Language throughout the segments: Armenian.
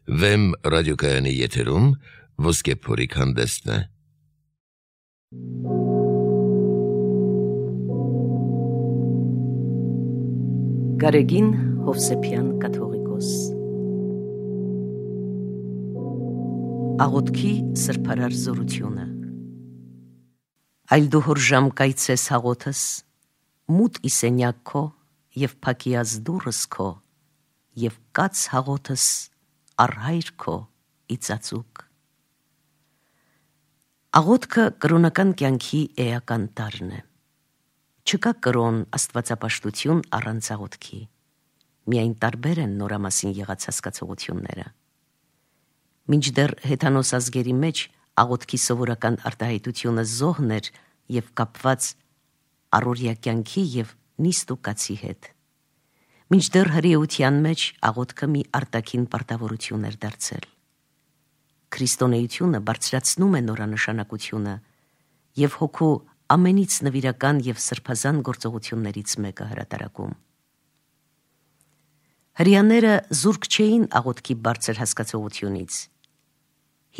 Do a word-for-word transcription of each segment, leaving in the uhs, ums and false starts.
Վեմ ռադիոկայանի եթերում Ոսկե փորիկ հանդեսն է։ Գարեգին Հովսեփյան կաթողիկոս Աղոթքի սրբարար զորությունը Այլ դու հոր ժամ կայցես հաղոթս, մութ իսենյակ քո և փակիած դուռս քո, և կաց հաղոթս առհայր քո իծածուկ։ Աղոթքը կրոնական կյանքի էական տարրն է։ Չկա կրոն աստվածապաշտություն առանց աղոթքի, միայն տարբեր են նորամասին եղած հասկացողությունները։ Մինչդեռ հեթանոս ազգերի մեջ աղոթքի սովորական արտահայտությունը զոհն էր և կապված առօրյա կյանքի և նիստ ու կացի հետ։ Մինչդեռ հրեության մեջ աղոթքը մի արտաքին պարտավորություն էր դարձել։ Քրիստոնեությունը բարձրացնում է նորանշանակությունը և հոգու ամենից նվիրական և սրբազան գործողություններից մեկը հրատարակում։ Հրեաները զուրկ չէին աղոթքի բարձր հասկացողությունից։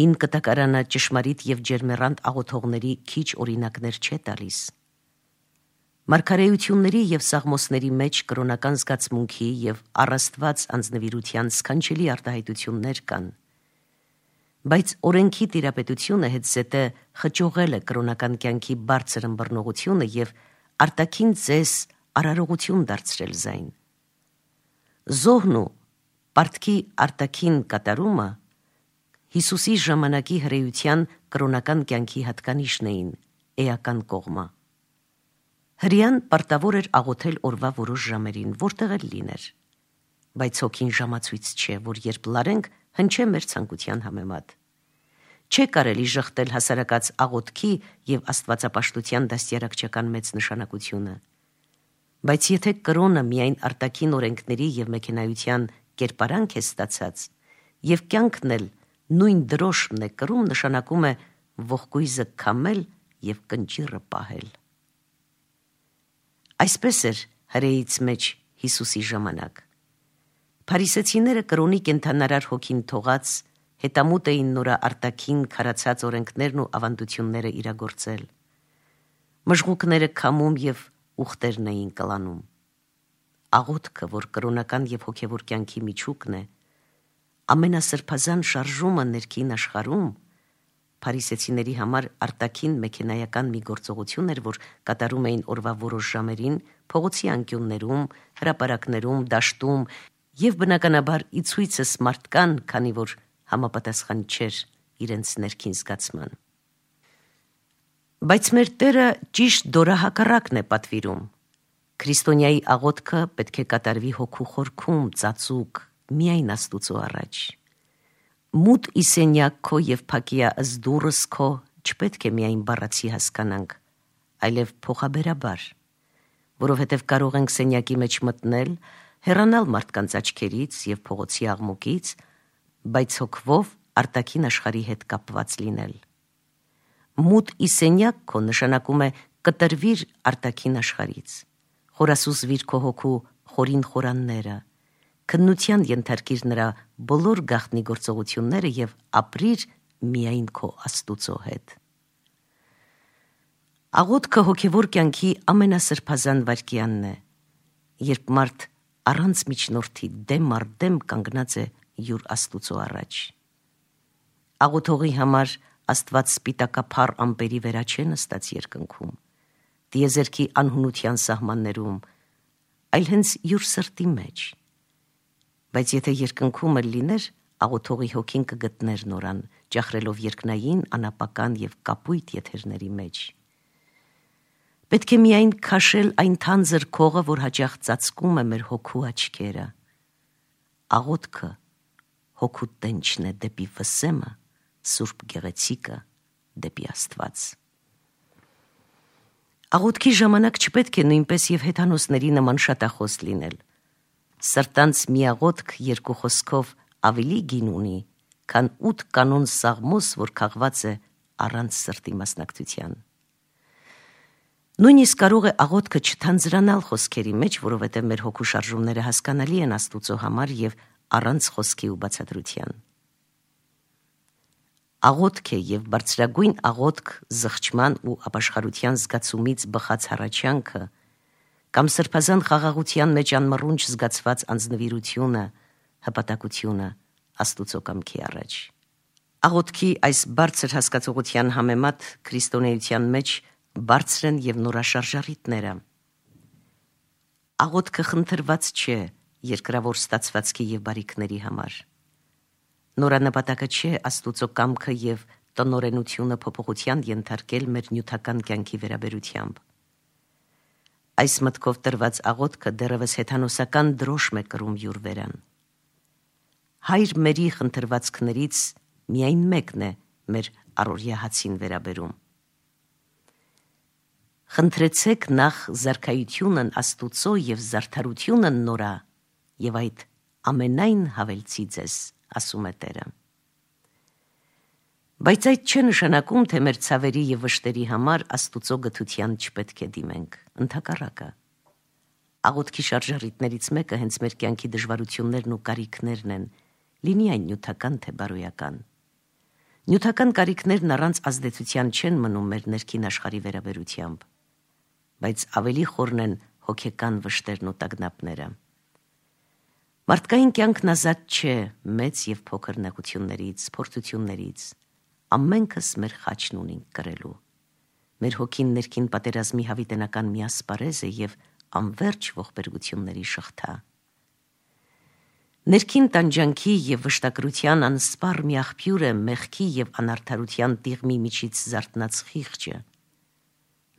Հին կտակարանը ճշմարիտ և ջերմեռանդ աղոթողների քիչ օրինակներ չէ տալիս։ Մարգարեությունների և սաղմոսների մեջ կրոնական զգացմունքի և առաստված անձնվիրության սքանչելի արտահայտություններ կան, բայց օրենքի տիրապետությունը հետզհետե խճողել է կրոնական կյանքի բարձր ըմբռնողությունը և արտաքին ձես արարողություն դարձրել զայն։ Զոհն ու պարտքի արտաքին կատարումը Հիսուսի ժամանակի հրեության կրոնական կյանքի հատկանիշն էին, էական կողմը։ Հրեան պարտավոր էր աղոթել օրվա որոշ ժամերին, որտեղ էլ լիներ, բայց հոգին ժամացույց չէ, որ երբ լարենք, հնչե մեր ցանկության համեմատ։ Չէ կարելի ժխտել հասարակած աղոթքի և աստվածապաշտության դաստիարակչական մեծ նշանակությունը, բայց եթե կրոնը միայն արտաքին օրենքների և մեքենայության կերպարանք է ստացած, և կյանքն էլ նույն դրոշմն է կրում, նշանակում է ողկույզը քամել և կնճիռը պահել։ Այսպես էր հրեից մեջ Հիսուսի ժամանակ։ Փարիսեցիները կրոնի կենդանարար հոգին թողած, հետամուտ էին նորա արտաքին քարացած օրենքներն ու ավանդությունները իրագործել։ Մժղուկները քամում և ուղտերն էին կլանում։ Աղոթքը, որ կրոնական և հոգևոր կյանքի միջուկն է, ամենասրբազան շարժումը ներքին աշխարհում, փարիսեցիների համար արտաքին մեքենայական մի գործողություն էր, որ կատարում էին օրվա որոշ ժամերին, փողոցի անկյուններում, հրապարակներում, դաշտում և բնականաբար ի ցույցս մարդկան, քանի որ համապատասխան չէր իրենց ներքին զգացման։ Բայց մեր Տերը ճիշտ դորահակառակն է պատվիրում։ Քրիստոնյայի աղոթքը պետք է կատարվի հոգու խորքում, ծածուկ, միայն Աստուծո առաջ։ Մութ իսենյակ քո և փակիած դուռս քո չպետք է միայն բառացի հասկանանք, այլև փոխաբերաբար, որովհետև կարող ենք սենյակի մեջ մտնել, հեռանալ մարդկանց աչքերից և փողոցի աղմուկից, բայց հոգվով արտաքին աշխարհի հետ կապված լինել։ Մութ իսենյակ քո նշանակում է կտրվիր արտաքին աշխարհից, խորասուզվիր քո հոգու խորին խորանները, քննության ենթարկիր նրա բոլոր գաղտնի գործողությունները և ապրիր միայն քո Աստուծո հետ։ Աղոթքը հոգևոր կյանքի ամենասրբազան վայրկյանն է, երբ մարդ առանց միջնորդի դեմ առ դեմ կանգնած է յուր Աստուծո առաջ։ Աղոթողի համար Աստված սպիտակափառ ամպերի վերա չէ նստած երկնքում, տիեզերքի անհունության սահմաններում, այլ հենց յուր սրտի մեջ։ Բայց եթե երկնքում էլ լիներ, աղոթողի հոգին կգտներ նորան, ճախրելով երկնային, անապական և կապույտ եթերների մեջ։ Պետք է միայն քաշել այն թանձր քողը, որ հաճախ ծածկում է մեր հոգու աչքերը։ Աղոթքը հոգու տենչն է դեպի վսեմը, սուրբ գեղեցիկը դեպի Աստված։ Աղոթքի ժամանակ չպետք է նույնպես և հեթանոսների նման շատախոս լինել։ Սրտանց մի աղոթք երկու խոսքով ավելի գին ունի, քան ութ կանոն սաղմոս, որ քաղված է առանց սրտի մասնակցության։ Նույնիսկ կարող է աղոթքը չթանձրանալ խոսքերի մեջ, որովհետև մեր հոգու շարժումները հասկանալի են Աստուծո համար և առանց խոսքի ու բացատրության։ աղոթք է եւ բարձրագույն աղոթք զղջման ու ապաշխարության զգացումից բխած հառաչանքը կամ սրբազան խաղաղության մեջ անմռունչ զգացված անձնվիրությունը, հպատակությունը Աստուծո կամքի առաջ։ Աղոթքի այս բարձր հասկացողության համեմատ քրիստոնեության մեջ բարձր են եւ նորաշարժ առիթները։ Աղոթքը խնդրված չէ երկրավոր ստացվածքի եւ բարիքների համար։ Նորանպատակը չէ Աստուծո կամքը եւ տնօրենությունը փոփոխության ենթարկել մեր նյութական կյանքի վերաբերությամբ։ Այս մտքով տրված աղոթքը դեռևս հեթանոսական դրոշմ է կրում յուր վերան։ Հայր մերի խնդրվածքներից միայն մեկն է մեր առօրյա հացին վերաբերում։ Խնդրեցեք նախ զարքայությունն Աստուծո եւ զարդարությունն նորա, եւ այդ ամենայն հավելցի ձեզ, ասում է Տերը։ Բայց այդ չէ նշանակում, թե մեր ցավերի եւ վշտերի համար Աստուծո գթության չպետք է դիմենք, ընդհակառակը։ Աղոթքի շարժառիթներից մեկը հենց մեր կյանքի դժվարություններն ու կարիքներն են, լինի այն նյութական թե բարոյական։ Նյութական կարիքներն առանց ազդեցության չեն մնում մեր ներքին աշխարհի վերաբերությամբ, բայց ավելի խորն են հոգեկան վշտերն ու տագնապները։ Մարդկային կյանքն ազատ չէ մեծ եւ փոքր նեղություններից, փորձություններից։ Ամենքս մեր խաչն ունենք կրելու։ Մեր հոգին ներքին պատերազմի հավիտենական մի ասպարեզ է եւ անվերջ ողբերգությունների շղթա։ Ներքին տանջանքի եւ վշտակրության անսպառ մի աղբյուր է մեղքի եւ անարդարության տիղմի միջից զարթնած խիղճը։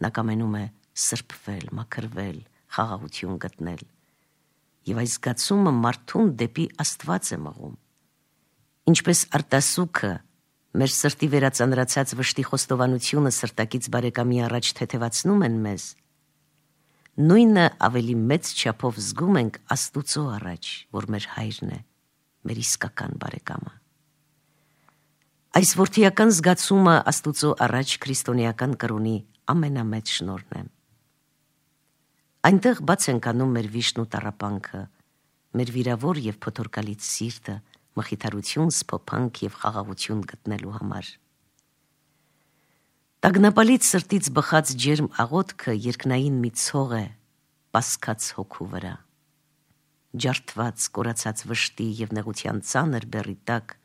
Նա կամենում է սրբվել, մաքրվել, խաղաղություն գտնել։ Եվ այս զգացումը մարդուն դեպի Աստված է մղում։ Ինչպես արտասուքը մեր սրտի վերածանրացած վշտի խոստովանությունը սրտակից բարեկամի առաջ թեթևացնում են մեզ, նույնը ավելի մեծ չափով զգում ենք Աստուծո առաջ, որ մեր հայրն է, մեր իսկական բարեկամը։ Այս որդիական զգացումը Աստուծո առաջ քրիստոնեական կրոնի ամենամեծ շնորհն է։ Այնտեղ բաց ենք անում մեր վիշտն ու տառապանքը, մեր վիրավոր եւ փոթորկալից սիրտը, մխիթարություն, սփոփանք եւ խաղաղություն գտնելու համար։ Տագնապալից սրտից բխած ջերմ աղոթքը երկնային մի ցող է պասկած հոգու վրա։ Ջարդված, կորացած վշտի եւ նեղության ծանր բեռի տակ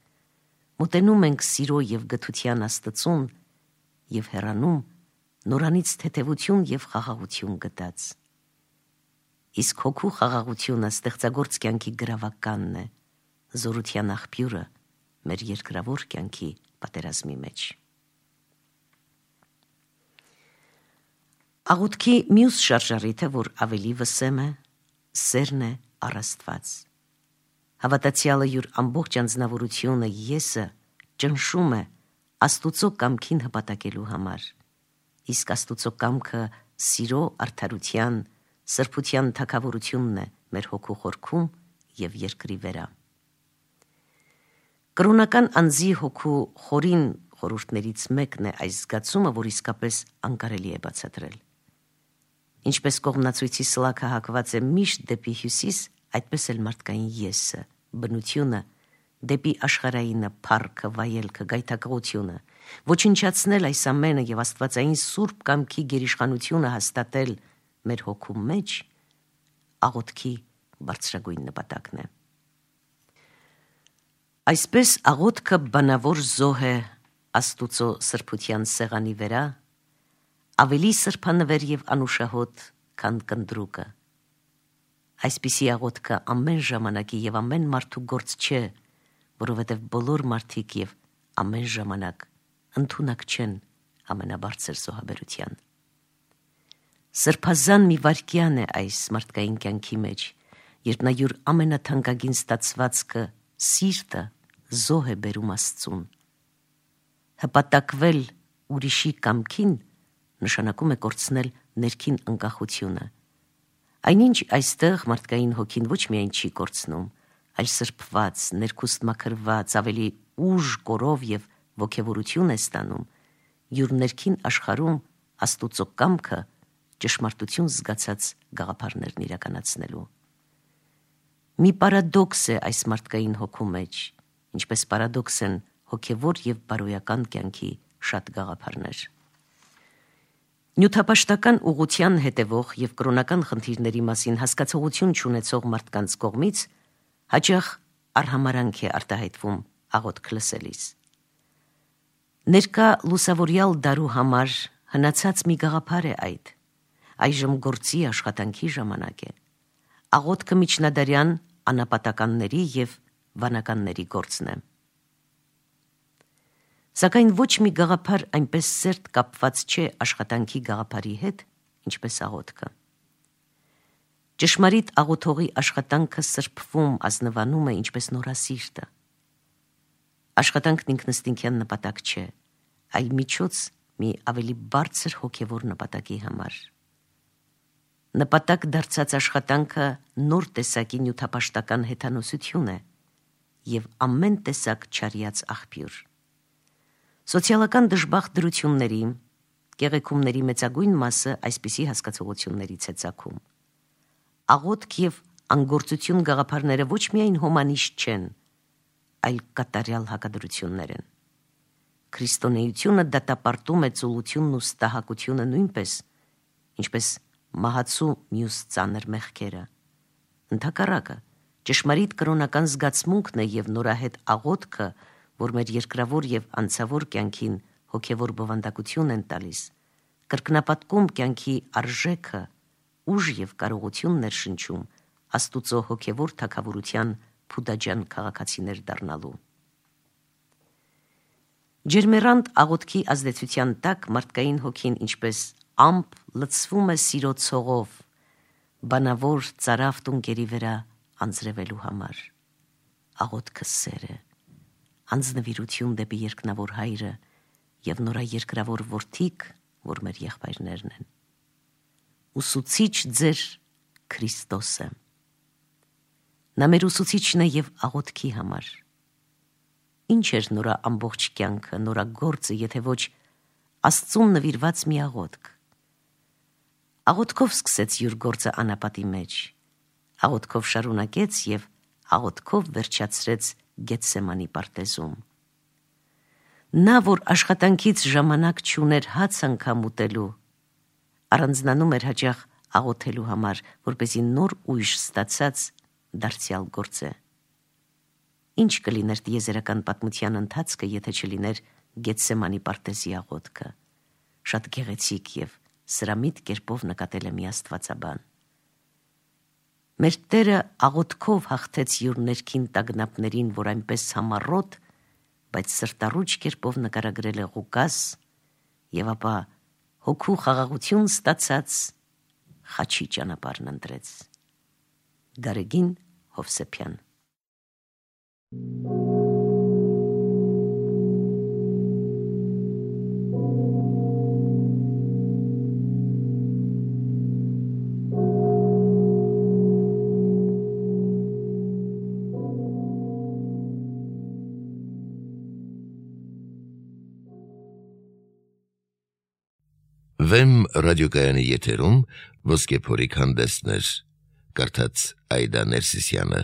մոտենում ենք սիրո եւ գթության Աստծուն եւ հեռանում նորանից թեթևություն եւ խաղաղություն գտած։ Իսկ հոգու խաղաղությունը ստեղծագործ կյանքի գրավականն է, զորության աղբյուրը մեր երկրավոր կյանքի պատերազմի մեջ։ Աղոթքի մյուս շարժառիթը, որ ավելի վսեմ է, սերն է առ Աստված։ Հավատացյալը յուր ամբողջ անձնավորությունը եսը ճնշում է Աստուծո կամքին հպատակելու համար, իսկ Աստուծո կամքը սիրո, արդարության, սրբության թագավորությունն է մեր հոգու խորքում եւ երկրի վրա։ Կրոնական անձի հոգու խորին խորհուրդներից մեկն է այս զգացումը, որ իսկապես անկարելի է բացատրել։ Ինչպես կողմնացույցի սլաքը հակված է միշտ դեպի հյուսիս, այդպես էլ մարդկային եսը, բնությունը, դեպի աշխարհայինը, փառքը, վայելքը, գայթակղությունը, ոչնչացնել այս ամենը եւ աստվածային սուրբ կամքի գերիշխանությունը հաստատել մեր հոգու մեջ, աղոթքի բարձրագույն նպատակն է։ Այսպես աղոթքը բանավոր զոհ է Աստուծո սրբության սեղանի վրա, ավելի սրբանվեր եւ անուշահոտ, քան կնդրուկը։ Այսպիսի աղոթքը ամեն ժամանակի եւ ամեն մարդու գործ չէ, որովհետեւ բոլոր մարդիկ եւ ամեն ժամանակ ընդունակ չեն ամենաբարձր զոհաբերության։ Սրբազան մի վայրկյան է այս մարդկային կյանքի մեջ, երբ նա յուր ամենաթանկագին ստացվածքը, սիրտը, զոհ է բերում Աստծուն։ Հպատակվել ուրիշի կամքին նշանակում է կորցնել ներքին անկախությունը։ Այնինչ այստեղ մարդկային հոգին ոչ միայն չի կորցնում, այլ սրբված, ներքուստ մաքրված, ավելի ուժ, կորով եւ ոգևորություն է ստանում, յուր ներքին աշխարհում Աստուծո կամքը ճշմարտություն զգացած գաղափարներն իրականացնելու։ Մի պարադոքս է այս մարդկային հոգու մեջ, ինչպես պարադոքս են հոգևոր եւ բարոյական կյանքի շատ գաղափարներ։ Նյութապաշտական ուղղության հետևող եւ կրոնական խնդիրների մասին հասկացողություն չունեցող մարդկանց կողմից հաճախ արհամարանք է արտահայտվում աղոթք լսելիս։ Ներկա լուսավորյալ դարու համար հնացած մի գաղափար է այդ, այժմ գործի աշխատանքի ժամանակ է, աղոթքը միջնադարյան անապատականների եւ վանականների գործն է։ Սակայն ոչ մի գաղափար այնպես սերտ կապված չէ աշխատանքի գաղափարի հետ, ինչպես աղոթքը։ Ճշմարիտ աղոթողի աշխատանքը սրբվում, ազնվանում է ինչպես նորասիրտը։ Աշխատանքն ինքնըստինքյան նպատակ չէ, այլ միջոց մի ավելի բարձր հոգևոր նպատակի համար։ Նպատակ դարձած աշխատանքը նոր տեսակի նյութապաշտական հեթանոսություն է եւ ամեն տեսակ չարիած աղբյուր։ Սոցիալական դժբախտ դրությունների, կեղեքումների մեծագույն մասը այսպիսի հասկացողություններից է ծագում։ Աղոթք եւ անգործություն գաղափարները ոչ միայն հոմանիշ չեն, այլ կատարյալ հակադրություններ են։ Քրիստոնեությունը դատապարտում է ծուլությունն ու ստահակությունը նույնպես, ինչպես մահացու մյուս ծանր մեղքերը։ Ընդհակառակը, ճշմարիտ կրոնական զգացմունքն է եւ նորահետ աղոթքը, որ մեր երկրավոր եւ անցավոր կյանքին հոգևոր բովանդակություն են տալիս, կրկնապատկում կյանքի արժեքը, ուժ եւ կարողություն ներշնչում Աստուծո հոգևոր թագավորության փուդաջան քաղաքացիներ դառնալու։ Ջերմերանտ աղոթքի ազդեցության տակ մարդկային հոգին ինչպես ամպ լցվում է սիրո ցողով, բանավոր ծարավ տունկերի վրա անձրևելու համար։ Աղոթքը սեր է, անձնվիրություն դեպի երկնավոր հայրը եւ նորաերկրավոր որդիկ, որ մեր եղբայրներն են։ Ուսուցիչ ձեր Քրիստոսը։ Նա մեր ուսուցիչն է եւ աղոթքի համար։ Ինչ էր նորա ամբողջ կյանքը, նորա գործը, եթե ոչ Աստծուն նվիրված մի աղոթք։ Աղոթքով սկսեց յուր գործը անապատի մեջ, աղոթքով շարունակեց եւ աղոթքով վերջացրեց Գեթսեմանի պարտեզում։ Նա, որ աշխատանքից ժամանակ չուներ հաց անգամ ուտելու, առանձնանում էր հաճախ աղոթելու համար, որպեսզի նոր ուժ ստացած դարձյալ գործե։ Ինչ կլիներ տիեզերական պատմության ընթացքը, եթե չլիներ Գեթսեմանի պարտեզի աղոթքը, շատ գեղեցիկ եւ սրամիտ կերպով նկատել է մի աստվածաբան։ Մեր Տերը աղոթքով հաղթեց յուր ներքին տագնապներին, որ այնպես համառոտ, բայց սրտառուչ կերպով նկարագրել է Ղուկաս, եւ ապա հոգու խաղաղություն ստացած խաչի ճանապարհն ընտրեց։ Գարեգին Հովսեփյան։ Վեմ ռադիոկայանի եթերում ոսկե փորիկ հանդեսներ, կարդաց Այդա Ներսիսյանը։